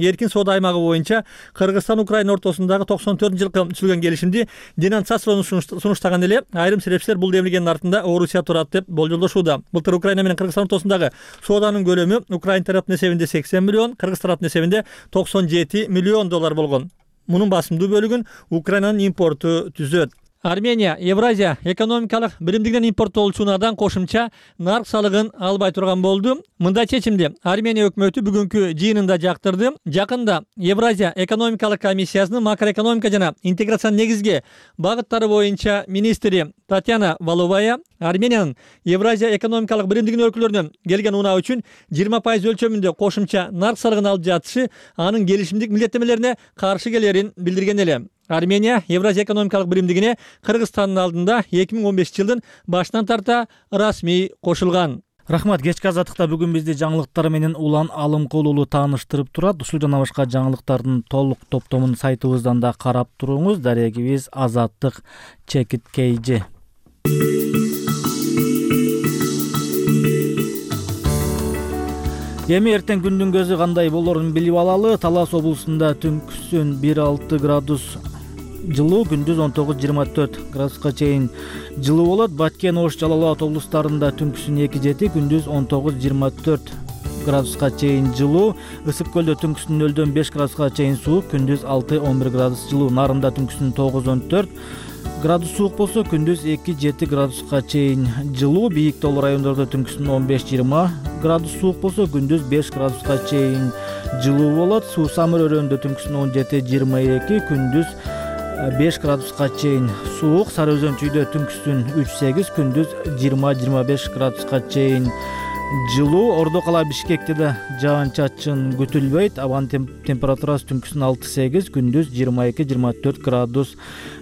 Эркин соода аймагы боюнча Кыргызстан Украина ортосундагы 94-жылкы түзүлгөн келишимди денонсациялоону сунуштаган эле айрым серепчилер бул демилгенин артында Орусия турат деп болжолдошууда. Былтыр Украина менен Кыргызстан ортосундагы сооданын көлөмү Украина тараптын эсебинде 80 миллион, Кыргыз тараптын эсебинде 97 миллион доллар болгон. Мунун басымдуу бөлүгүн Украинанын импорту түзөт. Армения Евразия экономикалык биримдигинен импорттолуучу унаадан кошумча нарк салыгын албай турган болду. Мындай чечимди Армения өкмөтү бүгүнкү жыйынында жактырды. Жакында Евразия экономикалык комиссиясынын макроэкономика жана интеграция негизги багыттары боюнча министри Татьяна Валовая Армениянын Евразия экономикалык биримдигинин өлкөлөрүнөн келген унаа үчүн 20% өлчөмүндө кошумча нарк салыгын алып жатышы анын келишимдик милдеттемелерине каршы келерин билдирген эле. Армения Евразия экономикалык биримдигине Кыргызстандын алдында 2015 жылдын башынан тарта расмий кошулган. Рахмат. Кечки азаттыкта бүгүн бизди жаңылыктар менен Улан Алымкулуулу тааныштырып турат. Ушул жана башка жаңылыктардын толук топтомун сайтыбыздан да карап туруңуз. Дарегибиз Азаттык _KG. Эми эртең күндүн көзү кандай болорун билип алалы. Талас облусунда түнкүсүн 1-6 градус жылуу, күндүз 19-24 градуска чейин жылуу болот. Баткен, Ош, Жалал Абад облустарында түнкүсүн 2-7, күндүз 19-24 градуска чейин жылуу. Ысык көлдө түнкүсүн 0-5 градуска чейин суук, күндүз 6-11 градус жылуу. Нарында түнкүсүн 9-14 градус суук болсо, күндүз 2-7 градуска чейин жылуу. Бийик тоолуу райондордо түнкүсүн 15-20 градус суук болсо, күндүз 5 градуска чейин жылуу болот. Суусамыр өрөөнүндө түнкүсүн 17-22, күндүз 5 градуска чейин суук. Сары Өзөн чүйдө түнкүсүн 3-8, күндүз 20-25 градуска чейин жылуу. Ордо кала Бишкекте да жаан-чачын күтүлбөйт. Абанын температурасы түнкүсүн 6-8, күндүз 22-24 градус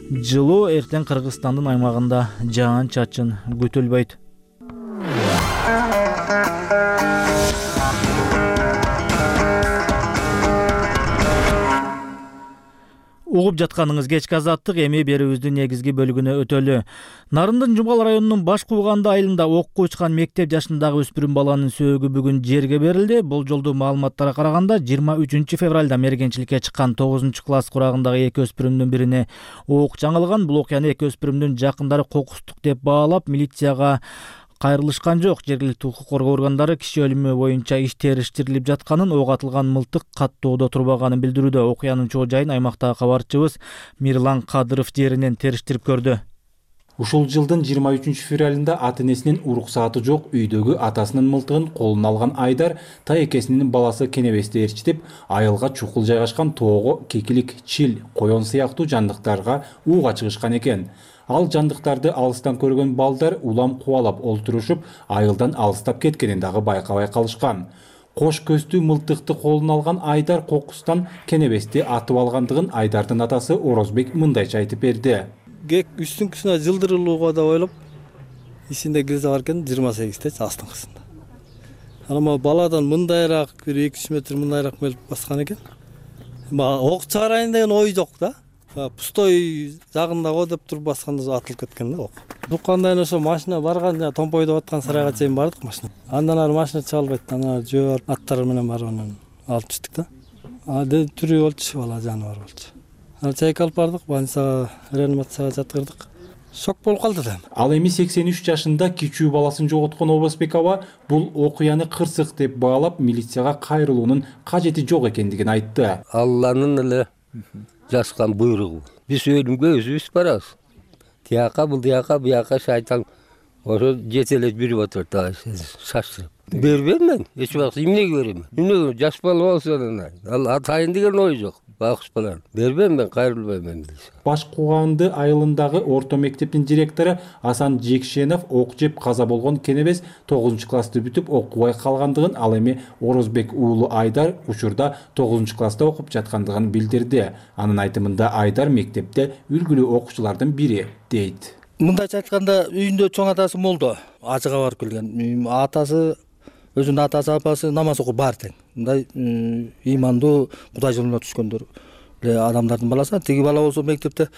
жылуу. Эртең Кыргызстандын аймагында жаан-чачын күтүлбөйт. Угуп жатканыңыз кечки азаттык. Эми берүүбүздүн негизги бөлүгүнө өтөлү. Нарындын Жумгал районунун Баш Кууганды айылында окко учкан мектеп жашындагы өспүрүм баланын сөөгү бүгүн жерге берилди. Болжолдуу маалыматтарга караганда 23 февралда мергенчиликке чыккан 9 класс курагындагы эки өспүрүмдүн бирине ок жаңылган. Бул окуяны эки өспүрүмдүн жакындары кокустук деп баалап, милицияга кайрылышкан жок. Жергиликтүү укук коргоо органдары киши өлүмү боюнча иш териштирилип жатканын, ок атылган мылтык каттоодо турбаганын билдирүүдө. Окуянын чоо жайын аймактагы кабарчыбыз Мирлан Кадыров жеринен териштирип көрдү. Ушул жылдын 23 февралында ата-энесинин уруксааты жок үйдөгү атасынын мылтыгын колуна алган Айдар таекесинин баласы Кенебести ээрчитип, айылга чукул жайгашкан тоого кекилик, чил, коён сыяктуу жандыктарга ууга чыгышкан экен. Ал жандыктарды алыстан көргөн балдар улам кубалап олтурушуп, айылдан алыстап кеткенин дагы байкабай калышкан. Кош көздүү мылтыкты колуна алган Айдар кокустан Кенебести атып алгандыгын Айдардын атасы Орозбек мындайча айтып берди. Үстүңкүсүнө жылдырылууга да ойлоп, исинде кирзе бар экен 28-те астыңкысында. Анан баладан мындайраак бир 200 метр мындайраак келип баскан экен. Ок чыгарайын деген ой жок да. Пустой жагында го деп туруп басканда атылып кеткен да ок. Уккандан ошо машина барган Томпойдо аткан сарайга чейин бардык машина. Андан ары машина чыгалбайт. Анан жөө аттар менен барып анан алып чыктык да. Түрү болчу, бала жаны бар болчу. Чайка алып бардык, больницага, реанимацияга жаткырдык. Шок болуп калды да. Ал эми 83 жашында кичүү баласын жоготкон Обосбек аба бул окуяны кырсык деп баалап, милицияга кайрылуунун кажети жок экендигин айтты. Алланын эле жаскан буйругу. Биз өлүмгө өзүбүз барабыз. Тияка бул тияка, бияка шайтан ошо жетелеп жүрүп отурат, шаштырып. Бербейм мен, эч убакыт эмнеге берем? Эмнеге жаш бала болсо ал атайын деген ой жок. Бакыш балам. Бербейм мен, кайрылбайм мен. Баш Кууганды айылындагы орто мектептин директору Асан Жекшенов ок жеп каза болгон Кенебес 9 классты бүтүп окубай калгандыгын, ал эми Орозбек уулу Айдар учурда 9 класста окуп жаткандыгын билдирди. Анын айтымында Айдар мектепте үлгүлүү окуучулардын бири дейт. Мындайча айтканда, үйүндө чоң атасы молдо, ажыга барып келген. Атасы өзүнүн атасы, апасы намаз окуп бар тең. Мындай имандуу, Кудай жолуна түшкөндөр адамдардын баласы. Тиги бала болсо мектепте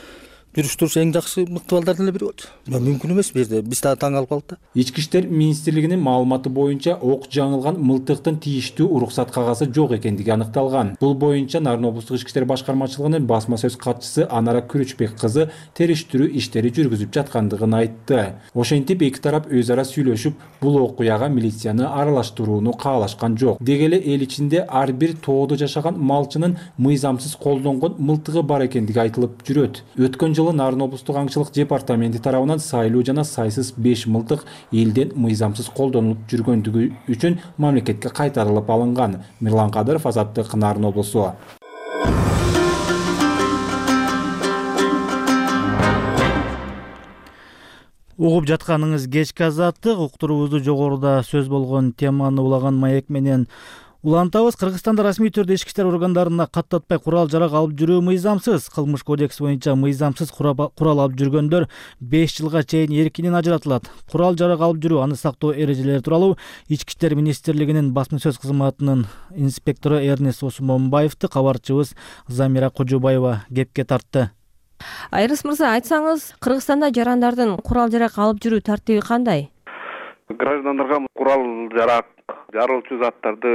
жүрүш туруш эң жакшы мыкты балдардын эле бири болчу. Мүмкүн эмес бул жерде. Биз таң калып калдык да. Ички иштер министрлигинин маалыматы боюнча ок жаңылган мылтыктын тийиштүү уруксат кагазы жок экендиги аныкталган. Бул боюнча Нарын облустук ички иштер башкармачылыгынын басма сөз катчысы Анара Күрүчбек кызы териштирүү иштери жүргүзүп жаткандыгын айтты. Ошентип эки тарап өз ара сүйлөшүп, бул окуяга милицияны аралаштырууну каалашкан жок. Деги эле эл ичинде ар бир тоодо жашаган малчынын мыйзамсыз колдонгон мылтыгы бар экендиги айтылып жүрөт. Өткөн жылы Нарын облустук аңчылык департаменти тарабынан сайлуу жана сайсыз 5 мылтык элден мыйзамсыз колдонулуп жүргөндүгү үчүн мамлекетке кайтарылып алынган. Мирлан Кадыров, Азаттык, Нарын облусу. Угуп жатканыңыз кечки Азаттык, уктуруубузду жогоруда сөз болгон теманы улаган маек менен улантабыз. Кыргызстанда расмий түрдө ички иштер органдарына каттатпай курал-жарак алып жүрүү мыйзамсыз. Кылмыш кодекси боюнча мыйзамсыз курал алып жүргөндөр 5 жылга чейин эркинен ажыратылат. Курал-жарак алып жүрүү, аны сактоо эрежелери тууралуу Ички иштер министрлигинин басма сөз кызматынын инспектору Эрнест Осмонбаевди кабарчыбыз Замира Кожобаева кепке тартты. Эрнест мырза, айтсаңыз, Кыргызстанда жарандардын курал-жарак алып жүрүү тартиби кандай? Граждандарга курал-жарак, жарылчу заттарды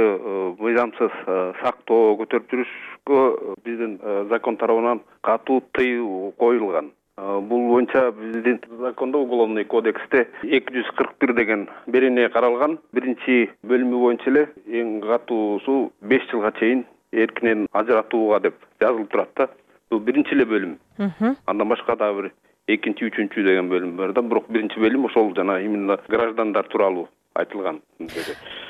мыйзамсыз сактоо, көтөрүп жүрүшкө биздин закон тарабынан катуу тыюу коюлган. Бул боюнча биздин закондо, Уголовный кодексте 241 деген берене каралган. Биринчи бөлүмү боюнча эле эң катуусу 5 жылга чейин эркинен ажыратууга деп жазылып турат да. Бул биринчи эле бөлүм. Андан башка дагы бир экинчи, үчүнчү деген бөлүм бар да. Бирок биринчи бөлүм ошол жана именно граждандар тууралуу айтылган.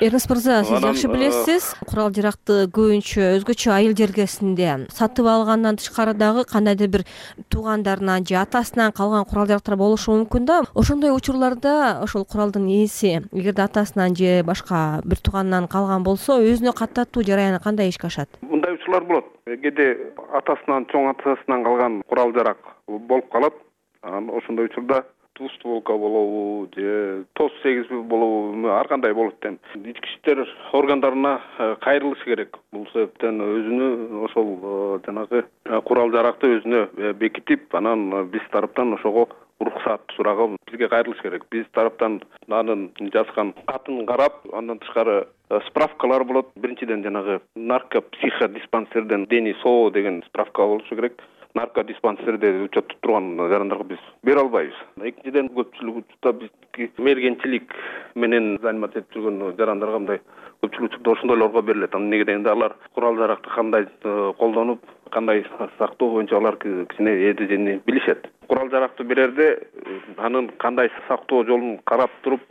Эрнест мырза, сиз жакшы билесиз, курал-жаракты көбүнчө өзгөчө айыл жергесинде сатып алгандан тышкары дагы кандайдыр бир туугандарынан же атасынан калган курал-жарактар болушу мүмкүн да. Ошондой учурларда ошол куралдын ээси эгерде атасынан же башка бир тууганынан калган болсо, өзүнө каттатуу жараяны кандай ишке ашат? Мындай учурлар болот. Кээде атасынан, чоң атасынан калган курал-жарак болуп калат. Ошондой учурда двустволка болобу же тоз 8 болобу, ар кандай болот экен. Ички иштер органдарына кайрылыш керек. Бул себептен өзүнү ошол жанагы курал-жаракты өзүнө бекитип, анан биз тараптан ошого уруксат сураган, бизге кайрылыш керек. Биз тараптан анын жазган катын карап, андан тышкары справкалар болот. Биринчиден жанагы наркопсиходиспансерден Дени СО деген справка болушу керек. Наркодиспансерде учеттуп турган жарандарга биз бере албайбыз. Экинчиден көпчүлүк учурда бизги мергенчилик менен заниматься этип жүргөн жарандарга мындай көпчүлүк учурда ошондойлорго берилет. Эмнеге дегенде алар курал-жаракты кандай колдонуп, кандай сактоо боюнча алар кичине эрежени билишет. Курал-жаракты берерде анын кандай сактоо жолун карап туруп,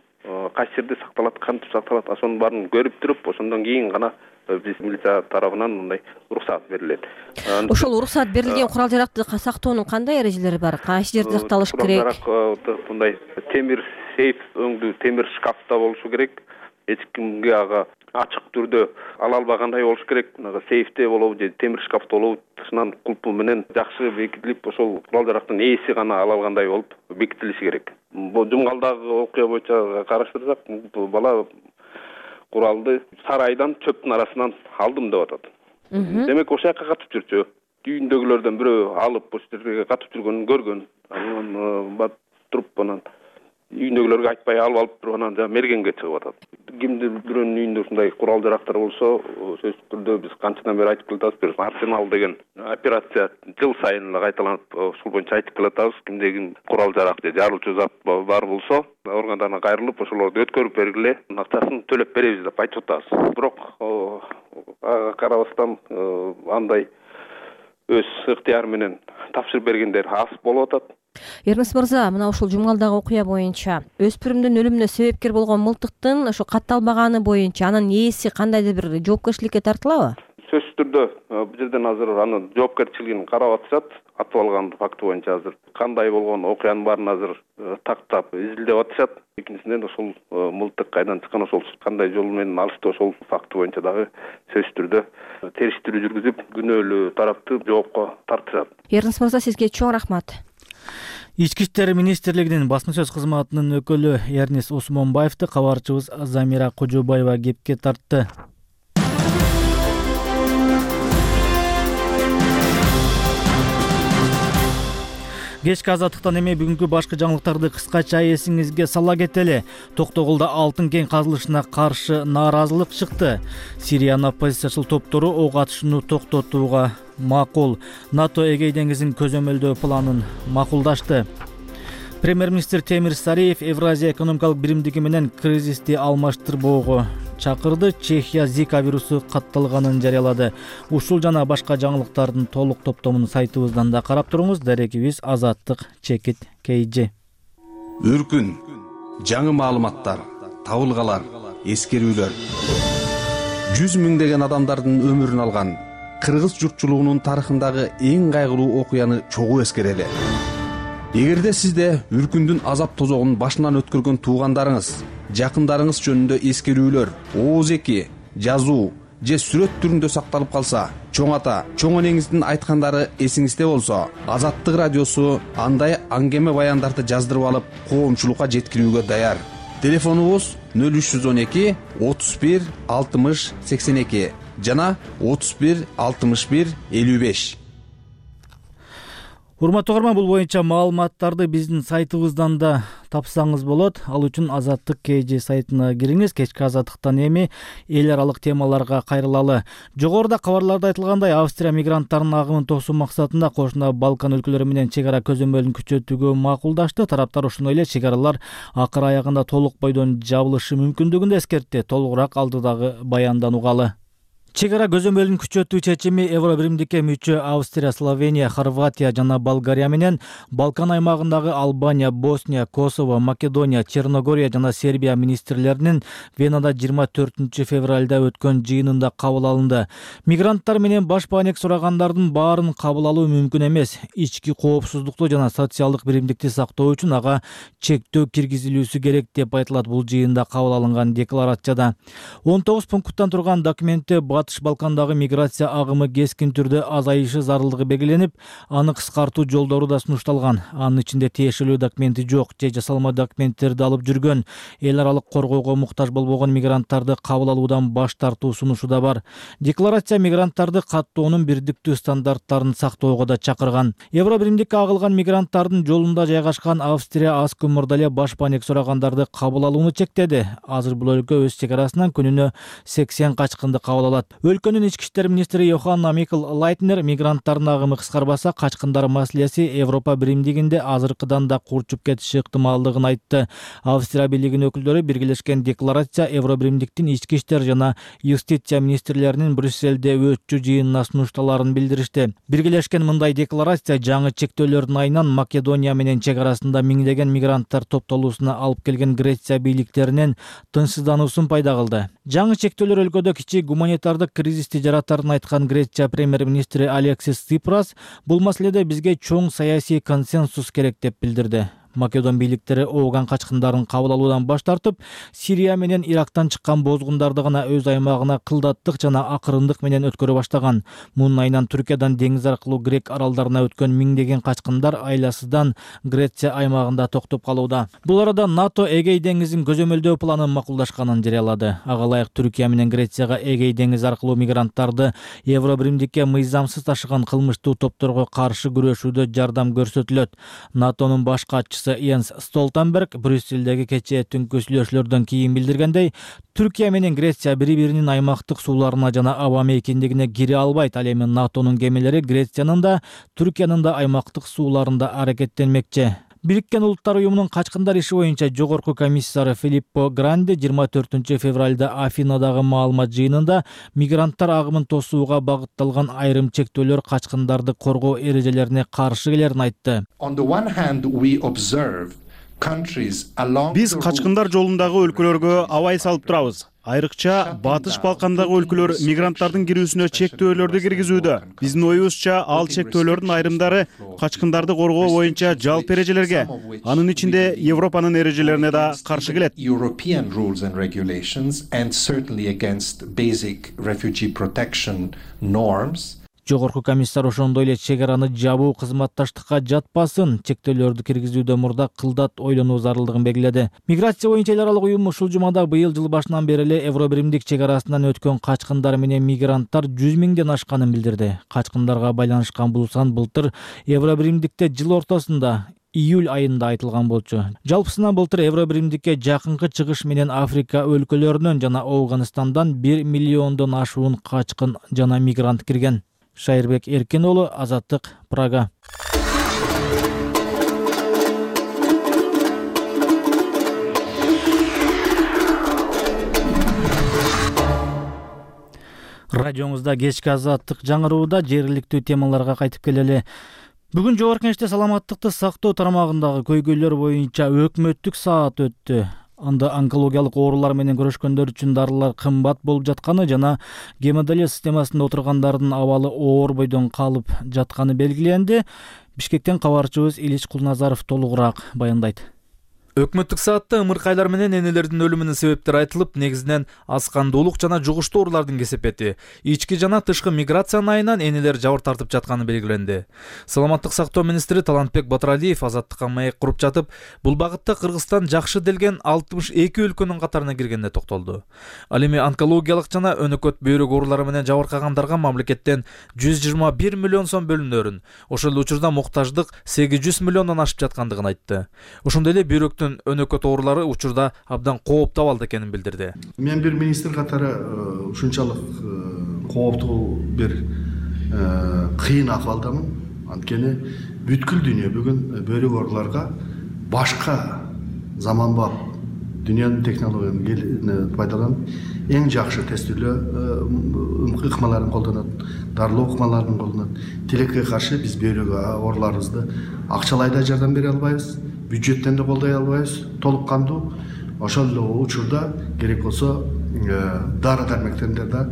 кайсы жерде сакталат, кантип сакталат, ошонун баарын көрүп туруп, ошондон кийин гана биз милиция тарабынан мындай уруксат берилет. Ошол уруксат берилген курал-жаракты сактоонун кандай эрежелери бар? Кайсы жерде сакталыш керек? Курал-жарак мындай темир сейф өңдүү темир шкафта болушу керек. Эч кимге ага ачык түрдө ала албагандай болуш керек. Сейфте болобу же темир шкафта болобу, тышынан кулпу менен жакшы бекитилип, ошол курал-жарактын ээси гана ала алгандай болуп бекитилиши керек. Бул Жумгалдагы окуя боюнча караштырсак, бала куралды сарайдан чөптүн арасынан алдым деп атат. Демек ошол жака катып жүрчү. Үйүндөгүлөрдөн бирөө алып ошол жерге катып жүргөнүн көргөн. Анан бат туруп анан үйүндөгүлөргө айтпай алып туруп анан мергенге чыгып атат. Кимдир бирөөнүн үйүндө ушундай курал-жарактар болсо, сөзсүз түрдө биз канчадан бери айтып келатабыз, бир Арсенал деген операция жыл сайын эле кайталанып, ушул боюнча айтып келатабыз. Кимде ким курал-жарак же жарылчу зат бар болсо, органдарына кайрылып, ошолорду өткөрүп бергиле, акчасын төлөп беребиз деп айтып атабыз. Бирок ага карабастан андай өз ыктыяры менен тапшырып бергендер аз болуп атат. Эрнест мырза, мына ушул Жумгалдагы окуя боюнча өспүрүмдүн өлүмүнө себепкер болгон мылтыктын ошо катталбаганы боюнча анын ээси кандайдыр бир жоопкерчиликке тартылабы? Сөзсүз түрдө бул жерден азыр анын жоопкерчилигин карап атышат. Атып алган факты боюнча азыр кандай болгон окуянын баарын азыр тактап изилдеп атышат. Экинчиден ошол мылтык кайдан чыккан, ошол кандай жол менен алышты, ошол факты боюнча дагы сөзсүз түрдө териштирүү жүргүзүп, күнөөлүү тарапты жоопко тартышат. Эрнест мырза, сизге чоң рахмат. Ички иштер министрлигинин басма сөз кызматынын өкүлү Эрнест Осмонбаевди кабарчыбыз Замира Кожобаева кепке тартты. Кечки азаттыктан эми бүгүнкү башкы жаңылыктарды кыскача эсиңизге сала кетели. Токтогулда алтын кен казылышына каршы нааразылык чыкты. Сириянын оппозициячыл топтору ок атышууну токтотууга макул. НАТО Эгей деңизин көзөмөлдөө планын макулдашты. Премьер-министр Темир Сариев Евразия экономикалык биримдиги менен кризисти алмаштырбоого чакырды. Чехия Зика вирусу катталганын жарыялады. Ушул жана башка жаңылыктардын толук топтомун сайтыбыздан да карап туруңуз. Дарекибиз Азаттык чекит KG. Үркүн, жаңы маалыматтар, табылгалар, эскерүүлөр. 100 миңдеген адамдардын өмүрүн алган кыргыз журтчулугунун тарыхындагы эң кайгылуу окуяны чогуу эскерели. Эгерде сизде үркүндүн азап тозогун башынан өткөргөн туугандарыңыз, жакындарыңыз жөнүндө эскерүүлөр, ооз-эки, жазуу же сүрөт түрүндө сакталып калса, чоң ата, чоң энеңиздин айткандары эсиңизде болсо, Азаттык радиосу андай аңгеме баяндарды жаздырып алып, коомчулукка жеткирүүгө даяр. Телефонубуз 0312 31 60 82 жана 31 61 55. Урматтуу угарман, бул боюнча маалыматтарды биздин сайтыбыздан да тапсаңыз болот. Ал үчүн Азаттык KG сайтына кириңиз. Кечки азаттыктан эми эл аралык темаларга кайрылалы. Жогоруда кабарларда айтылгандай, Австрия мигранттарынын агымын тосуу максатында кошуна Балкан өлкөлөрү менен чек ара көзөмөлүн күчөтүүгө макулдашты. Тараптар ошондой эле чек аралар акыр аягында толук бойдон жабылышы мүмкүндүгүн да эскертти. Толугураак алдыдагы баяндан угалы. Чек ара көзөмөлүн күчөтүү чечими Евро биримдикке мүчө Австрия, Словения, Хорватия жана Болгария менен Балкан аймагындагы Албания, Босния, Косово, Македония, Черногория жана Сербия министрлеринин Венада 24 февралда өткөн жыйынында кабыл алынды. Мигранттар менен баш баанек сурагандардын баарын кабыл алуу мүмкүн эмес. Ички коопсуздукту жана социалдык биримдикти сактоо үчүн ага чектөө киргизилүүсү керек деп айтылат бул жыйында кабыл алынган декларацияда. 19 пункттан турган документте Батыш Балкандагы миграция агымы кескин түрдө азайышы зарылдыгы белгиленип, аны кыскартуу жолдору да сунушталган. Анын ичинде тиешелүү документи жок же жасалма документтерди алып жүргөн, эл аралык коргоого муктаж болбогон мигранттарды кабыл алуудан баш тартуу сунушу да бар. Декларация мигранттарды каттоонун бирдиктүү стандарттарын сактоого да чакырган. Евро биримдикке агылган мигранттардын жолунда жайгашкан Австрия аз көмүрдө эле баш баанек сурагандарды кабыл алууну чектеди. Азыр бул өлкө өз чек арасынан күнүнө 80 качкынды кабыл алат. Өлкөнүн ички иштер министри Йоханна Микл Лайтнер мигранттардын агымы кыскарбаса, качкындар маселеси Европа биримдигинде азыркыдан да курчуп кетиши ыктымалдыгын айтты. Австрия бийлигинин өкүлдөрү биргелешкен декларация Евро биримдиктин ички иштер жана юстиция министрлеринин Брюсселде өтчү жыйынына сунушталарын билдиришти. Биргелешкен мындай декларация жаңы чектөөлөрдүн айынан Македония менен чек арасында миңдеген мигранттар топтолуусуна алып келген Греция бийликтеринин тынчсыздануусун пайда кылды. Жаңы чектөөлөр өлкөдө кичи гуманитардык кризисти жаратарын айткан Греция премьер-министри Алексис Ципрас бул маселеде бизге чоң саясий консенсус керек деп билдирди. Македон бийликтери ооган качкындарын кабыл алуудан баш тартып, Сирия менен Ирактан чыккан бозгундарды гана өз аймагына кылдаттык жана акырындык менен өткөрө баштаган. Мунун айынан Түркиядан деңиз аркылуу Грек аралдарына өткөн миңдеген качкындар айласыздан Греция аймагында токтоп калууда. Бул арада НАТО Эгей деңизин көзөмөлдөө планын макулдашканын жарыялады. Ага ылайык Түркия менен Грецияга Эгей деңизи аркылуу мигранттарды Евро биримдикке мыйзамсыз ташыган кылмыштуу топторго каршы күрөшүүдө жардам көрсөтүлөт. НАТОнун баш катчысы Йенс Столтенберг Брюсселдеги кечээ түнкү сүйлөшүүлөрдөн кийин билдиргендей, Түркия менен Греция бири-биринин аймактык сууларына жана аба мейкиндигине кире албайт. Ал эми НАТОнун кемелери Грециянын да, Түркиянын да аймактык сууларында аракеттенмекчи. Бириккен Улуттар уюмунун качкындар иши боюнча жогорку комиссары Филиппо Гранди 24 февралда Афинадагы маалымат жыйынында мигранттар агымын тосууга багытталган айрым чектөөлөр качкындарды коргоо эрежелерине каршы келерин айтты. Биз качкындар жолундагы өлкөлөргө абай салып турабыз. Айрыкча Батыш Балкандагы өлкөлөр мигранттардын кирүүсүнө чектөөлөрдү киргизүүдө. Биздин оюбузча ал чектөөлөрдүн айрымдары качкындарды коргоо боюнча жалпы эрежелерге, анын ичинде Европанын эрежелерине да каршы келет. Жогорку комиссар ошондой эле чек араны жабуу кызматташтыкка жатпасын, чектөөлөрдү киргизүүдөн мурда кылдат ойлонуу зарылдыгын белгиледи. Миграция боюнча эл аралык уюм ушул жумада быйыл жыл башынан бери эле Евробиримдик чек арасынан өткөн качкындар менен мигранттар 100 миңден ашканын билдирди. Качкындарга байланышкан бул сан былтыр Евробиримдикте жыл ортосунда июль айында айтылган болчу. Жалпысынан былтыр Евробиримдикке жакынкы чыгыш менен Африка өлкөлөрүнөн жана Ауганистандан 1 миллиондон ашуун качкын жана мигрант кирген. Шайырбек Эркин уулу, Азаттык, Прага. Радиоңузда кечки Азаттык жаңырууда жергиликтүү темаларга кайтып келели. Бүгүн Жогорку Кеңеште саламаттыкты сактоо тармагындагы көйгөйлөр боюнча өкмөттүк саат өттү. Анда онкологиялык оорулар менен күрөшкөндөр үчүн дарылар кымбат болуп жатканы жана гемодиализ системасында отургандардын абалы оор бойдон калып жатканы белгиленди. Бишкектен кабарчыбыз Илич Кулназаров толугураак баяндайт. Өкмөттүк саатта ымыркайлар менен энелердин өлүмүнүн себептери айтылып, негизинен аз кандуулук жана жугуштуу оорулардын кесепети, ички жана тышкы миграциянын айынан энелер жабыр тартып жатканы белгиленди. Саламаттык сактоо министри Талантбек Батыралиев Азаттыкка маек куруп жатып, бул багытта Кыргызстан жакшы делген 62 өлкөнүн катарына киргенине токтолду. Ал эми онкологиялык жана өнөкөт бөйрөк оорулары менен жабыркагандарга мамлекеттен 121 миллион сом бөлүнөрүн, ошол эле учурда муктаждык 800 миллиондон ашып жаткандыгын айтты. Ошондой эле бөйрөктүн өнөкөт оорулары учурда абдан кооптуу абалда экенин билдирди. Мен бир министр катары ушунчалык кооптуу бир кыйын акыбалдамын. Анткени бүткүл дүйнө бүгүн бөйрөк ооруларга башка заманбап дүйнөнүн технологиясын пайдаланып, эң жакшы тестүүлөө ыкмаларын колдонот, дарылоо ыкмаларын колдонот. Тилекке каршы биз бөйрөк ооруларыбызды акчалай да жардам бере албайбыз, бюджеттен да колдой албайбыз толук кандуу. Ошол эле учурда керек болсо дары дармектерди да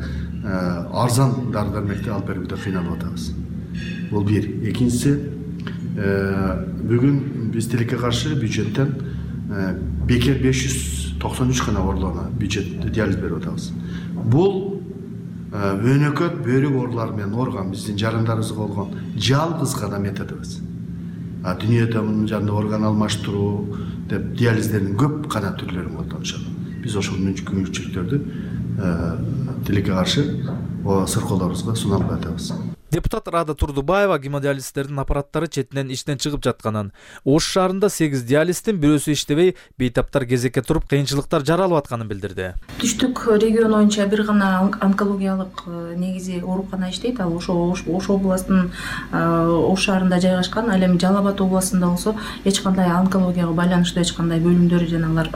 арзан дары дармекти алып берүүгө кыйналып атабыз. Бул бир. Экинчиси, бүгүн биз тилекке каршы бюджеттен бекер 593 гана ооруларга бюджет диализ берип атабыз. Бул өнөкөт бөйрөк оорулары менен ооруган биздин жарандарыбызга болгон жалгыз гана методубуз. Дүйнөдө мунун жанында орган алмаштыруу деп диализдердин көп гана түрлөрүн колдонушат. Биз ошол мүмкүнчүлүктөрдү тилекке каршы сыркоолорубузга суна албай атабыз. Депутат Рада Турдубаева гемодиалистердин аппараттары четинен иштен чыгып жатканын, Ош шаарында 8 диализдин бирөөсү иштебей, бейтаптар кезекке туруп кыйынчылыктар жаралып атканын билдирди. Түштүк регион боюнча бир гана онкологиялык негизи оорукана иштейт. Ал Ош областынын Ош шаарында жайгашкан. Ал эми Жалал Абад областында болсо эч кандай онкологияга байланыштуу эч кандай бөлүмдөр жанагылар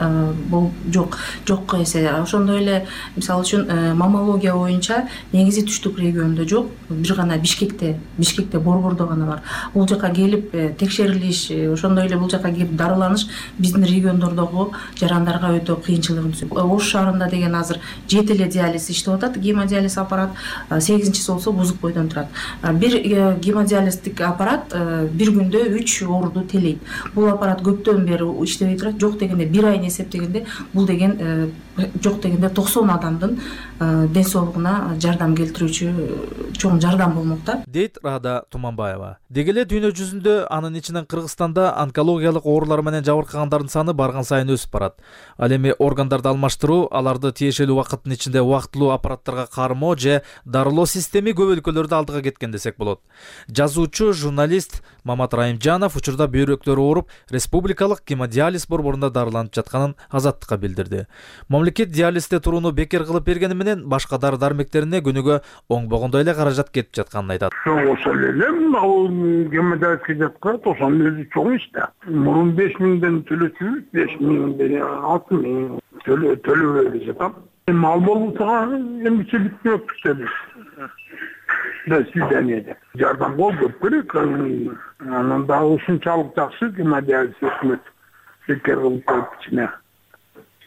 жок эсе. Ошондой эле мисалы үчүн маммология боюнча негизи түштүк региондо жок. Бир гана Бишкекте Борбордо гана бар. Бул жака келип текшерилиш, ошондой эле бул жака келип дарыланыш биздин региондордогу жарандарга өтө кыйынчылыгын түзөт. Ош шаарында деген азыр 7 эле диализ иштеп атат, гемодиализ аппарат, 8-чиси болсо бузук бойдон турат. Бир гемодиализдик аппарат бир күндө 3 ооруду телейт. Бул аппарат көптөн бери иштебей турат. Жок дегенде 1 айын эсептегенде бул деген жок дегенде 90 адамдын ден соолугуна жардам келтирүүчү чоң жардам болмокта, дейт Рада Туманбаева. Деги эле дүйнө жүзүндө, анын ичинен Кыргызстанда онкологиялык оорулар менен жабыркагандардын саны барган сайын өсүп барат. Ал эми органдарды алмаштыруу, аларды тиешелүү убакыттын ичинде убактылуу аппараттарга кармоо же дарылоо системи көп өлкөлөрдө алдыга кеткен десек болот. Жазуучу, журналист Мамат Райымжанов учурда бөйрөктөрү ооруп, республикалык гемодиализ борборунда дарыланып жатканын Азаттыкка билдирди. Мамлекет диализде турууну бекер кылып бергени менен башка дары дармектерине күнүгө оңбогондой эле каражат кетип жатканын айтат. Ошол эле ал гемодиализге жаткан 90 өзү чоң иш да. Мурун 5 миңден төлөчүбүз, 5 миңден 6 миң төлөбөй жатам. Ал болбосо эмче бүткөнөктүктөр. До свидания. Жардамга көп керек. Анан да ушунчалык жакшы гемодиализ өкмөт бекер кылып коюп ичине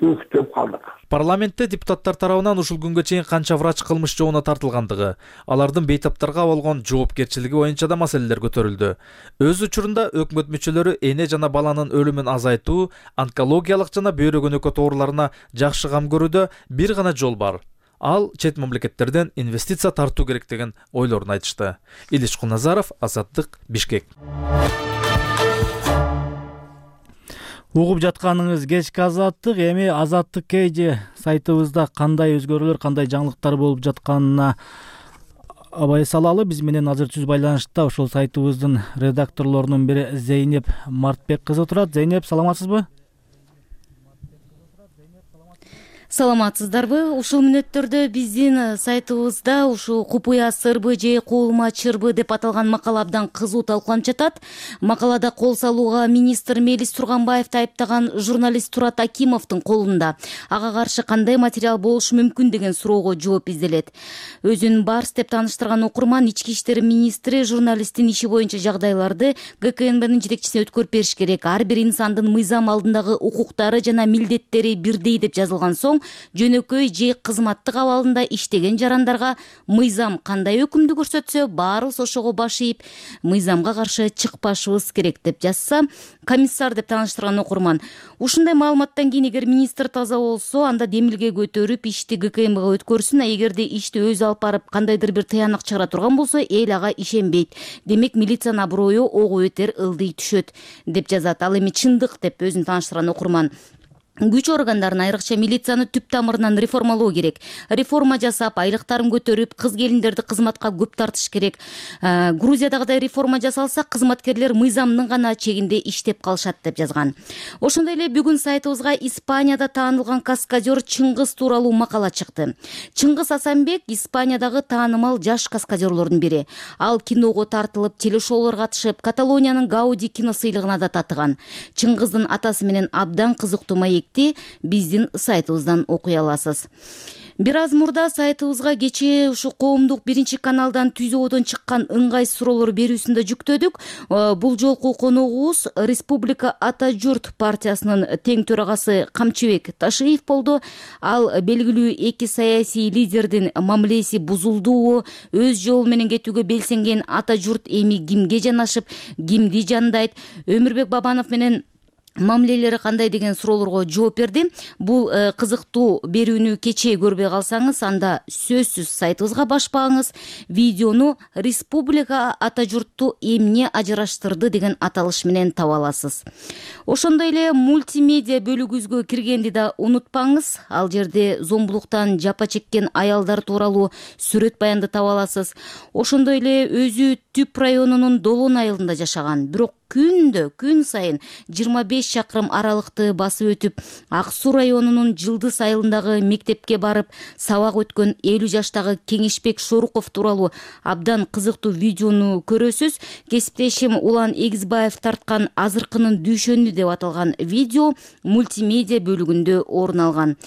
күтүп калдык. Парламентте депутаттар тарабынан ушул күнгө чейин канча врач кылмыш жообуна тартылгандыгы, алардын бейтаптарга болгон жоопкерчилиги боюнча да маселелер көтөрүлдү. Өз учурунда өкмөт мүчөлөрү эне жана баланын өлүмүн азайтуу, онкологиялык жана бөйрөк өнөкөт ооруларына жакшы кам көрүүдө бир гана жол бар. ал чет мамлекеттерден инвестиция тартуу керек деген ойлорун айтышты. Илич Куназаров, Азаттык, Бишкек. Угуп жатканыңыз кечки Азаттык. Эми Азаттык KG сайтыбызда кандай өзгөрүүлөр, кандай жаңылыктар болуп жатканына абай салалы. Биз менен азыр түз байланышта ошол сайтыбыздын редакторлорунун бири Зейнеп Мартбек кызы турат. Зейнеп, саламатсызбы? Саламатсыздарбы? Ушул мүнөттөрдө биздин сайтыбызда ушул купуя сырбы же куулма чырбы деп аталган макала абдан кызуу талкууланып жатат. Макалада кол салууга министр Мелис Турганбаевди айыптаган журналист Турат Акимовдун колунда. Ага каршы кандай материал болушу мүмкүн деген суроого жооп изделет. Өзүн Барс деп тааныштырган окурман ички иштер министри журналисттин иши боюнча жагдайларды ГКНБнын жетекчисине өткөрүп бериш керек. Ар бир инсандын мыйзам алдындагы укуктары жана милдеттери бирдей деп жазылган соң жөнөкөй же кызматтык абалында иштеген жарандарга мыйзам кандай өкүмдү көрсөтсө баарыбыз ошого баш ийип мыйзамга каршы чыкпашыбыз керек деп жазса комиссар деп тааныштырган окурман. Ушундай маалыматтан кийин эгер министр таза болсо анда демилге көтөрүп ишти ГКМга өткөрсүн, а эгерде ишти өзү алып барып кандайдыр бир тыянак чыгара турган болсо эл ага ишенбейт. Демек милициянын аброю ого бетер ылдый түшөт деп жазат. Ал эми чындык деп өзүн тааныштырган окурман. Күч органдарын, айрыкча милицияны түп тамырынан реформалоо керек. Реформа жасап, айлыктарын көтөрүп, кыз-келиндерди кызматка көп тартыш керек. Грузиядагыдай реформа жасалса, кызматкерлер мыйзамдын гана чегинде иштеп калышат деп жазган. Ошондой эле бүгүн сайтыбызга Испанияда таанылган каскадер Чыңгыз тууралуу макала чыкты. Чыңгыз Асанбек Испаниядагы таанымал жаш каскадерлордун бири. Ал киного тартылып, телешоулорго катышып, Каталониянын Гауди кино сыйлыгына да татыган. Чыңгыздын атасы менен абдан кызыктуу маекти биздин сайтыбыздан окуй аласыз. Бир аз мурда сайтыбызга кечээ ушу коомдук биринчи каналдан түзөөдөн чыккан ыңгай суроолор берүүсүндө жүктөдүк. Бул жолку коногубуз Республика Ата журт партиясынын тең төрагасы Камчыбек Ташиев болду. Ал белгилүү эки саясий лидердин мамилеси бузулдуу, өз жолу менен кетүүгө белсенген Ата журт эми кимге жанашып, кимди жандайт, Өмүрбек Бабанов менен мамилелери кандай деген суроолорго жооп берди. Бул кызыктуу берүүнү кечээ көрбөй калсаңыз, анда сөзсүз сайтыбызга башпаңыз. Видеону Республика Ата журтту эмне ажыраштырды деген аталыш менен таба аласыз. Ошондой эле мультимедиа бөлүгүбүзгө киргенди да унутпаңыз. Ал жерде зомбулуктан жапа чеккен аялдар тууралуу сүрөт баянды таба аласыз. Ошондой эле өзү Түп районунун Долон айылында жашаган, бирок күн сайын 25 чакырым аралыкты басып өтүп, Ак Суу районунун Жылдыз айылындагы мектепке барып сабак өткөн 50 жаштагы Кеңешбек Шоруков тууралуу абдан кызыктуу видеону көрөсүз. Кесиптешим Улан Эгизбаев тарткан Азыркынын дүйшөнү деп аталган видео мультимедиа бөлүгүндө орун алган.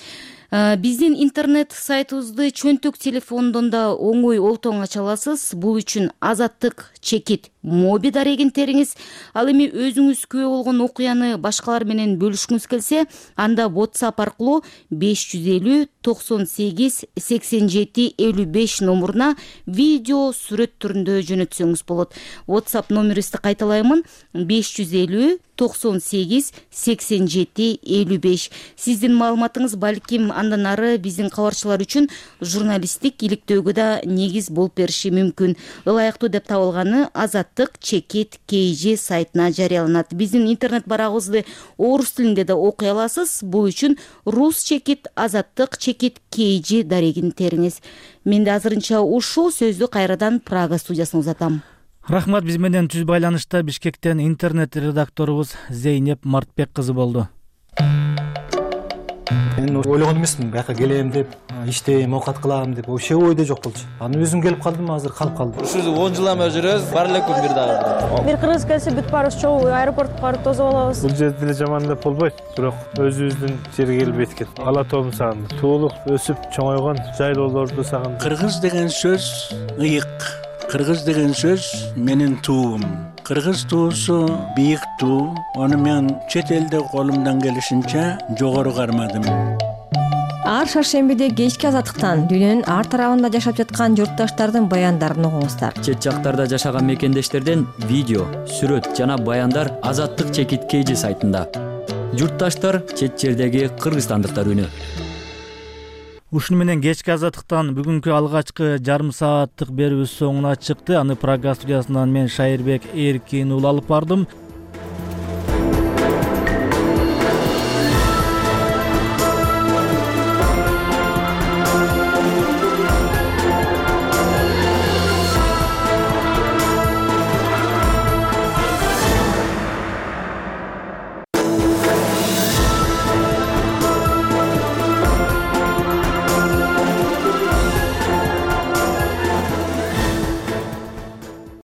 Биздин интернет сайтыбызды чөнтөк телефондон да оңой олтоң ача аласыз. Бул үчүн Азаттык чекит моби дарегин териңиз. Ал эми өзүңүз күбө болгон окуяны башкалар менен бөлүшкүңүз келсе, анда WhatsApp аркылуу 550 98 87 55 номуруна видео сүрөт түрүндө жөнөтсөңүз болот. WhatsApp номерибизди кайталаймын: 550 98 87 55. Сиздин маалыматыңыз балким андан ары биздин кабарчылар үчүн журналисттик иликтөөгө да негиз болуп бериши мүмкүн. Ылайыктуу деп табылганы Азаттык чекит KG сайтына жарыяланат. Биздин интернет барагыбызды орус тилинде да окуй аласыз. Бул үчүн рус чекит Азаттык чекит KG дарегин териңиз. Менде азырынча ушул сөздү кайрадан Прага студиясына узатам. Рахмат. Биз менен түз байланышта Бишкектен интернет редакторубуз Зейнеп Мартбек кызы болду. Мен ойлогон эмесмин, бияка келем деп, иштейм, оокат кылам деп, вообще ойдо жок болчу. Анан өзүм келип калдым, азыр калып калдым. Ушул 10 жылдан бери жүрөбүз, бар эле күн бир дагы. Бир кыргыз келсе бүт баарыбыз чогуу аэропортко барып тосуп алабыз. Бул жерде деле жаман деп болбойт, бирок өзүбүздүн жерге келип эткен. Ала тоом сагындым. Туулук, өсүп чоңойгон жайлоолорду сагындым. Кыргыз деген сөз ыйык. Кыргыз деген сөз менин туум. Кыргыз туусу бийик туу. Ону мен чет элде колумдан келишинче жогору кармадым. Ар шаршембиде кечки Азаттыктан дүйнөнүн ар тарабында жашап жаткан журтташтардын баяндарын угуңуздар. Чет жактарда жашаган мекендештерден видео, сүрөт жана баяндар Азаттык чекит KG сайтында. Журтташтар чет жердеги кыргызстандыктар үнү. Ушуну менен кечки азаттыктан бүгүнкү алгачкы жарым сааттык берүүбүз соңуна чыкты. Аны Прага студиясынан мен Шайырбек Эркин уулу алып бардым.